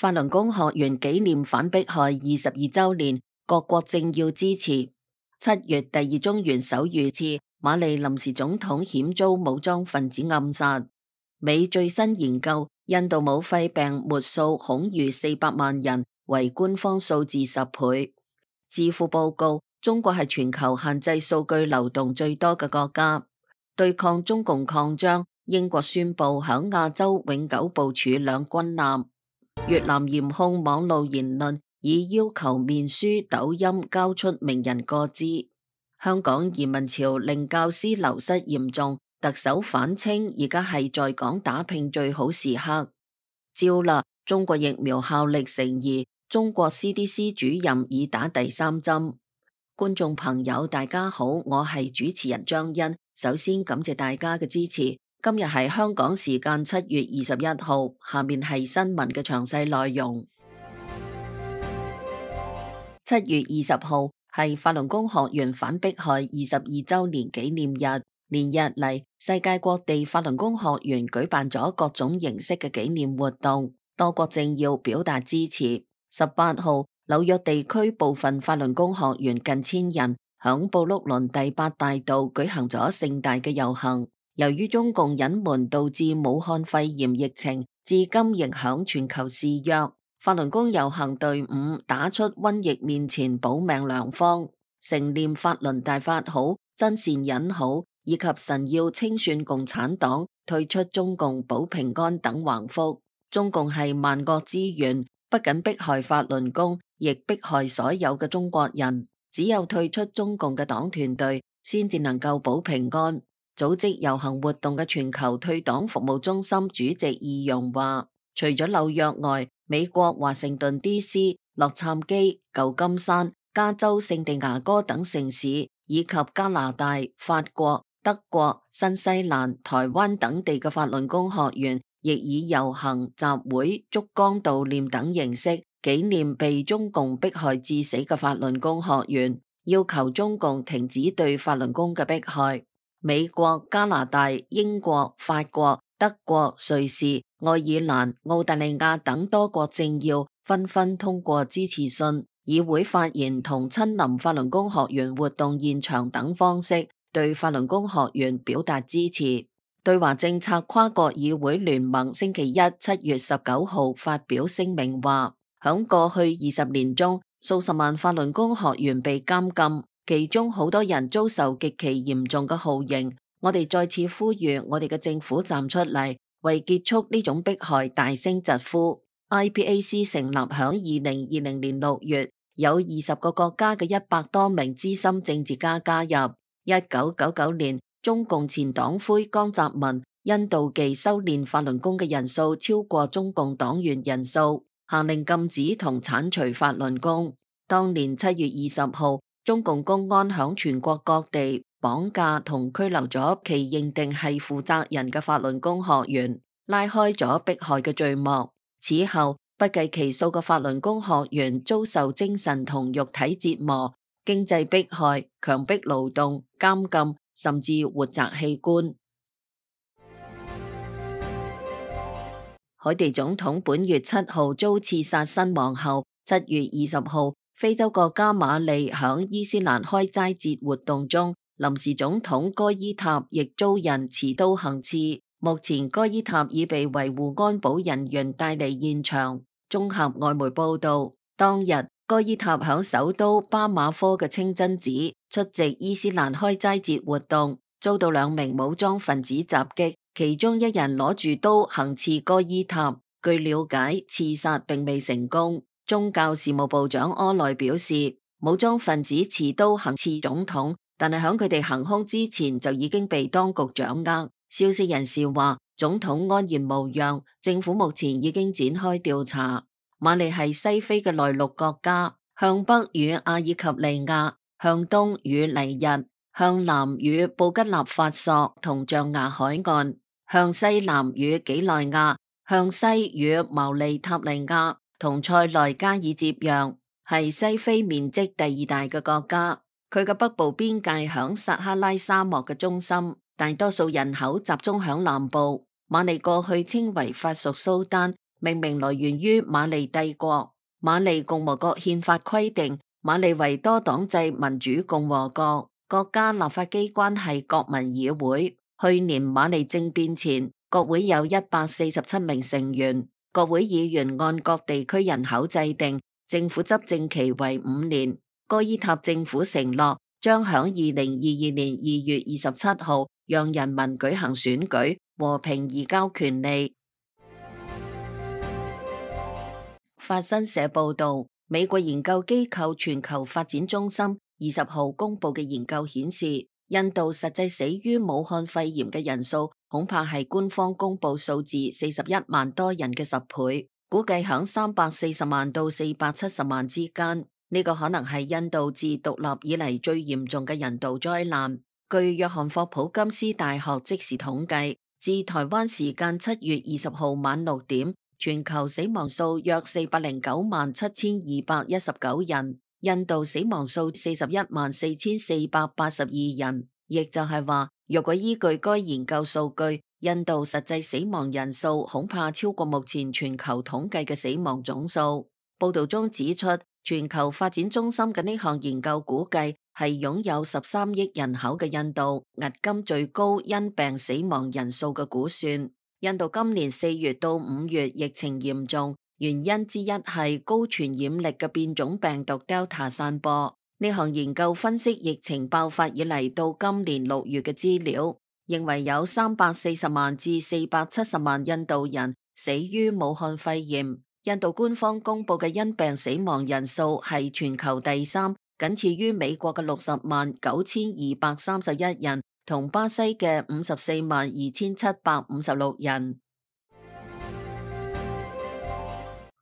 法輪功學員紀念反迫害22週年，各國政要支持。7月第2宗元首遇刺，馬利臨時總統險遭武裝分子暗殺。美最新研究，印度武肺病末數恐逾400萬人，為官方數字10倍。智庫報告，中國係全球限制數據流動最多嘅國家。對抗中共擴張，英國宣布響亞洲永久部署兩軍艦。越南嚴控網路言論，以要求面書、抖音交出名人個資。香港移民潮令教師流失嚴重，特首反稱而家係在港打拼最好時刻。招啦，中國疫苗效力成疑，中國 CDC 主任已打第3針。觀眾朋友大家好，我係主持人張欣，首先感謝大家嘅支持。今日係香港時間7月21號，下面係新聞嘅詳細內容。7月20號係法輪功學員反迫害22週年紀念日，連日嚟，世界各地法輪功學員舉辦咗各種形式嘅紀念活動，多國政要表達支持。18號，紐約地區部分法輪功學員近1000人響布魯倫第8大道舉行咗盛大嘅遊行。由於中共隱瞞導致武漢肺炎疫情，至今影響全球肆虐。法輪功遊行隊伍打出瘟疫面前保命良方，承念法輪大法好，真善忍好，以及神要清算共產黨，退出中共保平安等橫幅。中共係萬惡之源，不僅迫害法輪功，亦迫害所有嘅中國人。只有退出中共嘅黨團隊，先至能夠保平安。組織遊行活動嘅全球退黨服務中心主席易容話，除咗紐約外，美國華盛頓 DC、洛杉磯、舊金山、加州聖地牙哥等城市，以及加拿大、法國、德國、新西蘭、台灣等地嘅法輪功學員，亦以遊行、集會、燭光悼念等形式紀念被中共迫害致死嘅法輪功學員，要求中共停止對法輪功嘅迫害。美國、加拿大、英國、法國、德國、瑞士、愛爾蘭、澳大利亞等多國政要紛紛通過支持信、議會發言同親臨法輪功學員活動現場等方式，對法輪功學員表達支持。對華政策跨國議會聯盟星期一7月19號發表聲明話，響過去20年中，數十萬法輪功學員被監禁。其中好多人遭受極其嚴重嘅酷刑，我哋再次呼籲我哋嘅政府站出嚟，為結束呢種迫害大聲疾呼。IPAC 成立響2020年6月，有20個國家嘅100多名資深政治家加入。1999年，中共前黨魁江澤民因妒忌修煉法輪功嘅人數超過中共黨員人數，下令禁止同剷除法輪功。當年7月20號，中共公安響全國各地綁架同拘留咗其認定係負責人嘅法輪功學員，拉開咗迫害嘅序幕。此後，不計其數嘅法輪功學員遭受精神同肉體折磨、經濟迫害、強迫勞動、監禁，甚至活摘器官。海地總統本月7號遭刺殺身亡後，7月20號，非洲國家馬利響伊斯蘭開齋節活動中，臨時總統戈伊塔亦遭人持刀行刺。目前戈伊塔已被維護安保人員帶離現場。綜合外媒報道，當日戈伊塔響首都巴馬科嘅清真寺出席伊斯蘭開齋節活動，遭到2名武裝分子襲擊，其中一人攞住刀行刺戈伊塔。據了解，刺殺並未成功。宗教事務部長柯內表示，武裝分子持刀行刺總統，但係響佢哋行凶之前就已經被當局掌握。消息人士話，總統安然無恙，政府目前已經展開調查。馬利係西非嘅內陸國家，向北與阿爾及利亞，向東與尼日，向南與布吉納法索同象牙海岸，向西南與幾內亞，向西與毛利塔尼亞同塞內加爾接壤，係西非面積第2大嘅國家。佢嘅北部邊界響撒哈拉沙漠嘅中心，大多數人口集中響南部。馬利過去稱為法屬蘇丹，命名來源於馬利帝國。馬利共和國憲法規定，馬利為多黨制民主共和國，國家立法機關係國民議會。去年馬利政變前，國會有147名成員，國會議員按各地區人口制定，政府執政期為5年。戈伊塔政府承諾將響2022年2月27號讓人民舉行選舉，和平移交權力。法新社報道，美國研究機構全球發展中心20號公佈嘅研究顯示，印度實際死於武漢肺炎嘅人數恐怕係官方公佈數字41萬多人嘅10倍，估計響340萬到470萬之間。呢個可能係印度自獨立以嚟最嚴重嘅人道災難。據約翰霍普金斯大學即時統計，至台灣時間7月20號晚6點，全球死亡數約409萬7219人，印度死亡數41萬4482人。亦就係話，若果依據該研究數據，印度實際死亡人數恐怕超過目前全球統計嘅死亡總數。報道中指出，全球發展中心嘅呢項研究估計係擁有13億人口嘅印度，迄今最高因病死亡人數嘅估算。印度今年4月到5月疫情嚴重，原因之一係高傳染力嘅變種病毒 Delta 散播。呢項研究分析疫情爆發以嚟到今年6月嘅資料，認為有340萬至470萬印度人死於武漢肺炎。印度官方公布嘅因病死亡人數係全球第3，僅次於美國嘅60萬9231人，同巴西嘅54萬2756人。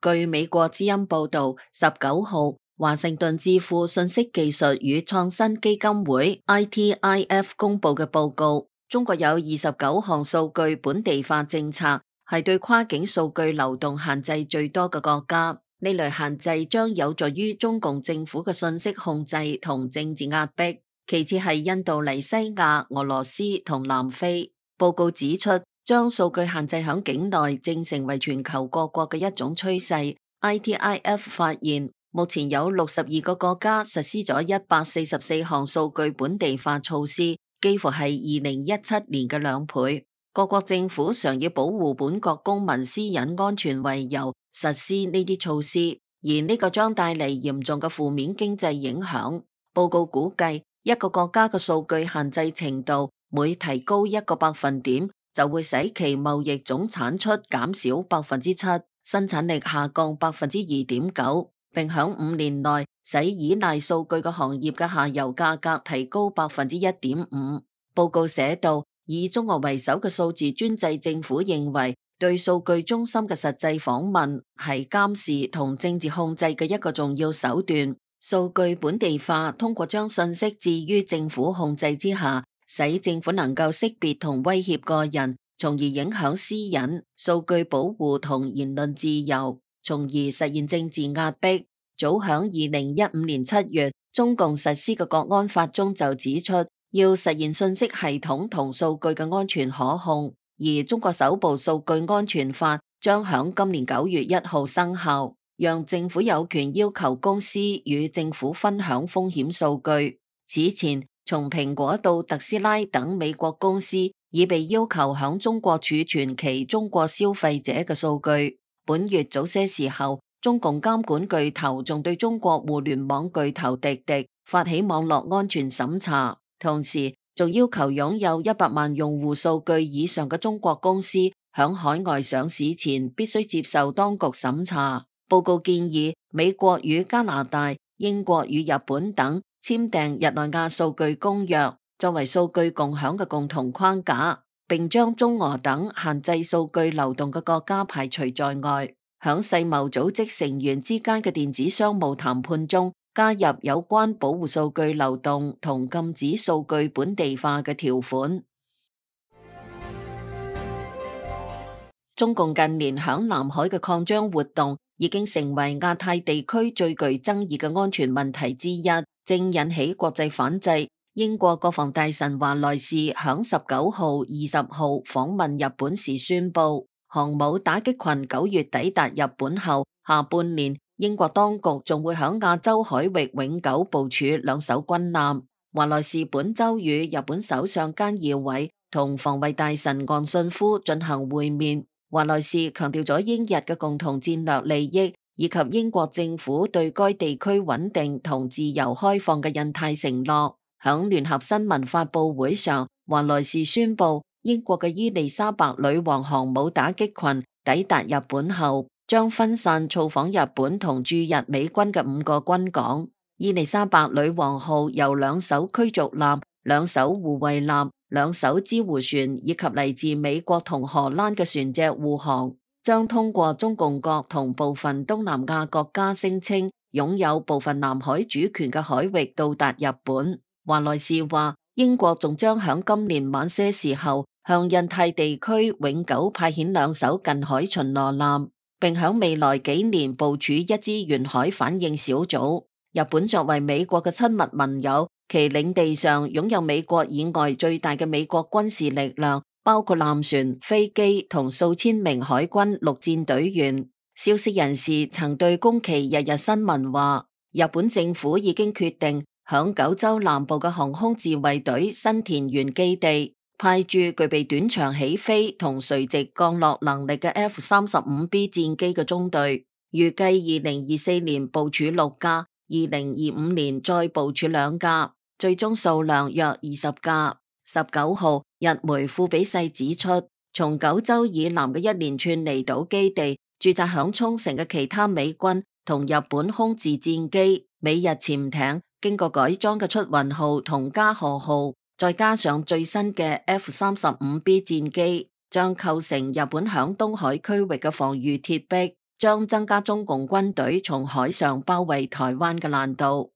據美國之音報道，19號，華盛頓智庫信息技術與創新基金會 ITIF 公布嘅報告，中國有29項數據本地化政策，係對跨境數據流動限制最多嘅國家。呢類限制將有助於中共政府嘅信息控制同政治壓迫。其次係印度尼西亞、俄羅斯同南非。報告指出，將數據限制響境內正成為全球各國嘅一種趨勢。ITIF 發現，目前有62個國家實施咗144項數據本地化措施，幾乎係2017年嘅2倍。各國政府常以保護本國公民私隱安全為由實施呢啲措施，而呢個將帶嚟嚴重嘅負面經濟影響。報告估計，一個國家嘅數據限制程度每提高1個百分點，就會使其貿易總產出減少7%，生產力下降2.9%，並響5年內使依賴數據嘅行業嘅下游價格提高1.5%。報告寫道，以中國為首嘅數字專制政府認為，對數據中心嘅實際訪問係監視同政治控制嘅一個重要手段。數據本地化通過將信息置於政府控制之下，使政府能夠識別同威脅個人，從而影響私隱、數據保護同言論自由，從而實現政治壓迫。早響2015年7月，中共實施嘅國安法中就指出，要實現信息系統同數據嘅安全可控，而中國首部數據安全法將響今年9月1號生效，讓政府有權要求公司與政府分享風險數據。此前，從蘋果到特斯拉等美國公司已被要求響中國儲存其中國消費者嘅數據。本月早些時候，中共監管巨頭仲對中國互聯網巨頭滴滴發起網絡安全審查。同時，仲要求擁有100萬用戶數據以上嘅中國公司響海外上市前必須接受當局審查。報告建議美國與加拿大、英國與日本等簽訂日內瓦數據公約，作為數據共享嘅共同框架，並將中俄等限制數據流動嘅國家排除在外。響世貿組織成員之間嘅電子商務談判中，加入有關保護數據流動同禁止數據本地化嘅條款。中共近年響南海嘅擴張活動已經成為亞太地區最具爭議嘅安全問題之一，正引起國際反制。英國國防大臣華萊士響19號、20號訪問日本時宣布，航母打擊群9月抵達日本後，下半年英國當局仲會響亞洲海域永久部署2艘軍艦。華萊士本周與日本首相菅義偉同防衛大臣岸信夫進行會面。華萊士強調咗英日嘅共同戰略利益，以及英國政府對該地區穩定同自由開放嘅印太承諾。響聯合新聞發佈會上，華萊士宣布英國嘅伊麗莎白女王航母打擊群抵達日本後，將分散造訪日本同駐日美軍嘅5個軍港。伊麗莎白女王號由2艘驅逐艦、2艘護衛艦、2艘支護船以及嚟自美國同荷蘭嘅船隻護航，將通過中共國同部分東南亞國家聲稱擁有部分南海主權嘅海域到達日本。華萊士話，英國仲將響今年晚些時候向印太地區永久派遣2艘近海巡邏艦，並響未來幾年部署1支沿海反應小組。日本作為美國嘅親密盟友，其領地上擁有美國以外最大嘅美國軍事力量，包括艦船、飛機同數千名海軍陸戰隊員。消息人士曾對宮崎日日新聞話，日本政府已經決定響九州南部嘅航空自衛隊新田原基地派駐具備短場起飛同垂直降落能力嘅 F-35B 戰機嘅中隊，預計2024年部署6架。2025年再部署2架，最終數量約20架。19號，日媒富比世指出，從九州以南嘅一連串離島基地駐紮響沖繩嘅其他美軍同日本空自戰機、美日潛艇，經過改裝嘅出雲號同加賀號，再加上最新嘅 F-35B 戰機，將構成日本響東海區域嘅防禦鐵壁，將增加中共軍隊從海上包圍台灣嘅難度。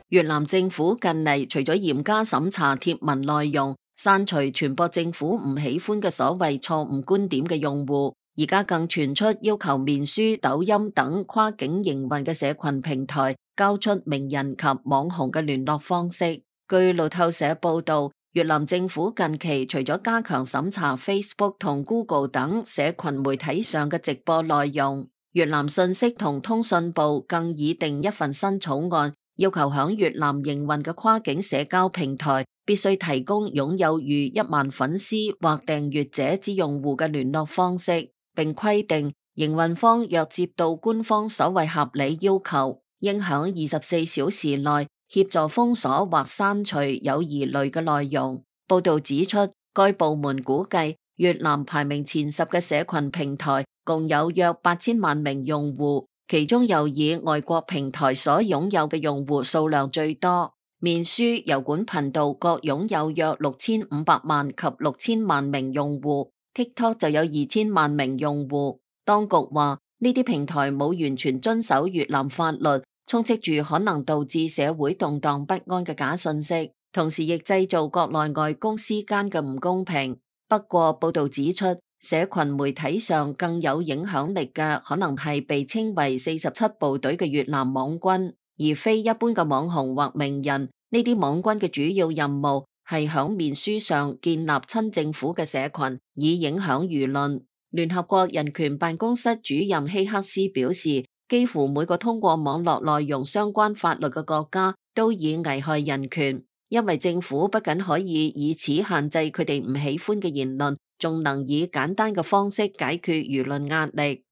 越南政府近嚟除咗嚴加審查貼文內容，刪除傳播政府唔喜歡嘅所謂錯誤觀點嘅用戶，而家更傳出要求面書、抖音等跨境營運嘅社群平台交出名人及網紅嘅聯絡方式。據路透社報道，越南政府近期除咗加強審查 Facebook 同 Google 等社群媒體上嘅直播內容，越南信息同通訊部更擬定一份新草案，要求響越南營運嘅跨境社交平台必須提供擁有逾1萬粉絲或訂閱者之用戶嘅聯絡方式，並規定營運方若接到官方所謂合理要求，應響24小時內協助封鎖或刪除有疑慮嘅內容。報道指出，該部門估計越南排名前10嘅社群平台共有約8000萬名用戶，其中又以外國平台所擁有嘅用戶數量最多。面書、油管頻道各擁有約6500萬及6000萬名用戶， TikTok 就有2000萬名用戶。當局話呢啲平台冇完全遵守越南法律，充斥住可能導致社會動盪不安嘅假信息，同時亦製造國內外公司間嘅唔公平。不過報道指出，社群媒體上更有影響力嘅可能係被稱為47部隊嘅越南網軍，而非一般嘅網紅或名人。呢啲網軍嘅主要任務係響面書上建立親政府嘅社群，以影響輿論。聯合國人權辦公室主任希克斯表示，幾乎每個通過網絡內容相關法律嘅國家都以危害人權，因為政府不僅可以以此限制佢哋唔喜歡嘅言論，仲能以簡單嘅方式解決輿論壓力。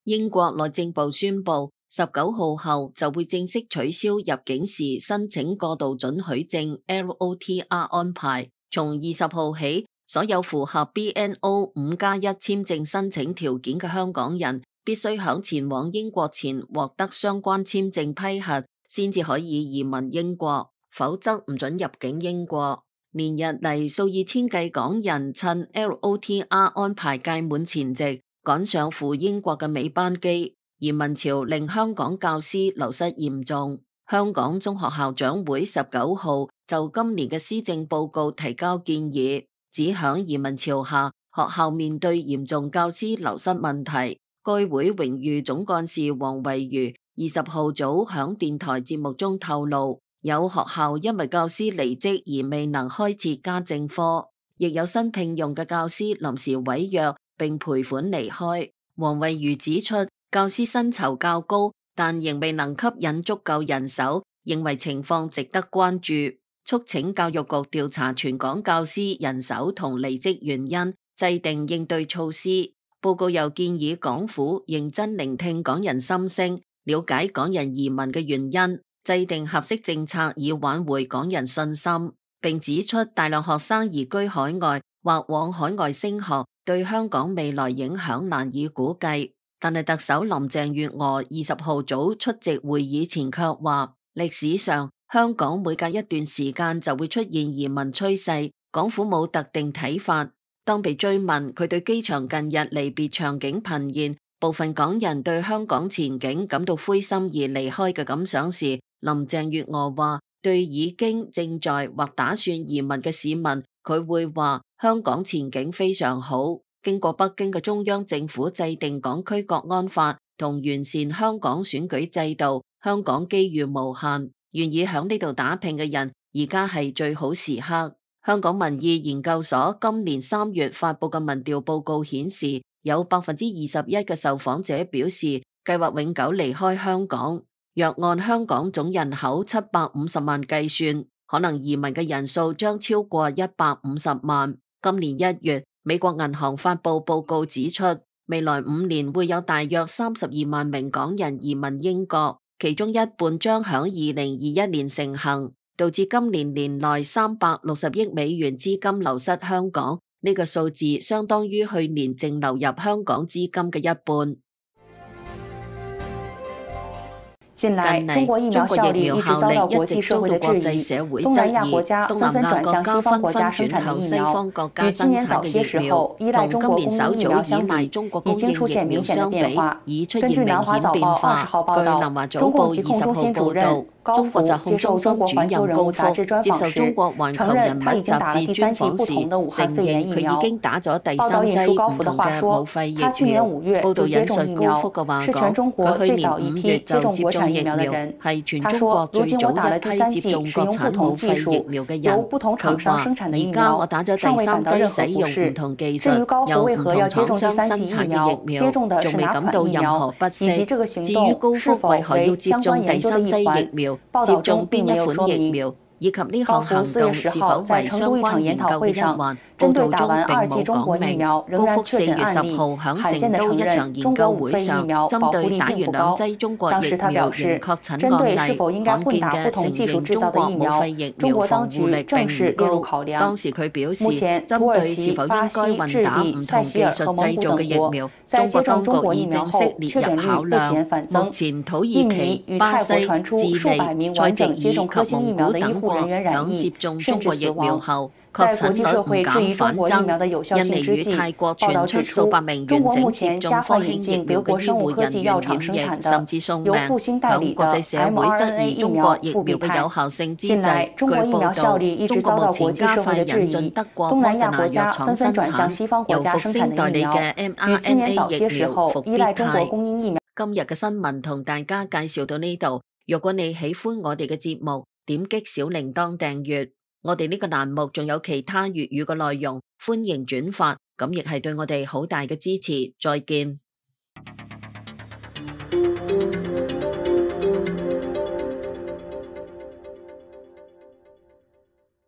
英國內政部宣布，19號後就會正式取消入境時申請過渡准許證 LOTR 安排，從20號起，所有符合 BNO 5+1簽證申請條件嘅香港人，必須響前往英國前獲得相關簽證批核，先至可以移民英國，否則唔准入境英國。連日嚟，數以千計港人趁 LOTR 安排屆滿前夕，趕上赴英國嘅尾班機。移民潮令香港教師流失嚴重。香港中學校長會19號就今年嘅施政報告提交建議，指響移民潮下，學校面對嚴重教師流失問題。該會榮譽總幹事黃惠如20號早響電台節目中透露，有學校因為教師離職而未能開設家政科，亦有新聘用嘅教師臨時違約並賠款離開。黃惠如指出，教師薪酬較高，但仍未能吸引足夠人手，認為情況值得關注，促請教育局調查全港教師人手同離職原因，制定應對措施。報告又建議港府認真聆聽港人心聲，了解港人移民嘅原因，制定合適政策以挽回港人信心，並指出大量學生移居海外或往海外升學，對香港未來影響難以估計。但係特首林鄭月娥20號早出席會議前卻話，歷史上香港每隔一段時間就會出現移民趨勢，港府冇特定睇法。當被追問佢對機場近日離別場景頻現，部分港人對香港前景感到灰心而離開嘅感想時，林鄭月娥話：對已經、正在或打算移民嘅市民，佢會話香港前景非常好。經過北京嘅中央政府制定港區國安法同完善香港選舉制度，香港機遇無限，願意響呢度打拼嘅人，而家係最好時刻。香港民意研究所今年3月發佈嘅民調報告顯示，有21%嘅受訪者表示計劃永久離開香港。若按香港總人口750萬計算，可能移民嘅人數將超過150萬。今年1月，美國銀行發佈報告指出，未來5年會有大約32萬名港人移民英國，其中一半將響2021年成行，導致今年年內360億美元資金流失香港，呢個數字相當於去年淨流入香港資金嘅一半。近來，中國疫苗效力一直遭到國際社會的質疑，東南亞國家紛紛轉向西方國家生產的疫苗，與今年早些時候依賴中國供應疫苗相比，已經出現明顯的變化。根據南華早報20號報道，中共疾控中心主任高福接受中國環球人物雜誌專訪時，承認他已經打了第3劑不同的武漢肺炎疫苗。報道引述高福的話說，他去年5月就接種疫苗，是全中國最早一批接種國產疫苗的人。他說，如今我打了第3劑，使用不同技術，由不同廠商生產的疫苗，尚未感到任何不適。至於高福為何要接種第3劑疫苗，接種的是哪款疫苗，以及這個行動是否為相關研究的一環，報道中並沒有說明。以及呢項行動是否為相關研究嘅一環，報道中並冇講明。高福4月10號響成都一場研究會上，針對打完2劑中國疫苗仍確診案例，罕見嘅承認中國武肺疫苗防護力並唔高。當時佢表示，針對是否應該混打唔同技術製造嘅疫苗，中國當局已正式列入考量。目前土耳其、巴西、智利、塞籍爾及蒙古等國響接種中國疫苗後，確診率唔減反增。印尼與泰國傳出數百名完整接種科興疫苗嘅醫護人員染疫，甚至送命。響國際社會質疑中國疫苗嘅有效性之際，據報道，中國目前加快引進德國莫德納藥廠生產由復星代理嘅 mRNA 疫苗復必泰。今日嘅新聞同大家介紹到呢度。如果你喜歡我哋嘅節目，點擊小鈴鐺訂閱，我哋呢個欄目仲有其他粵語嘅內容，歡迎轉發，咁亦係對我哋好大嘅支持。再見。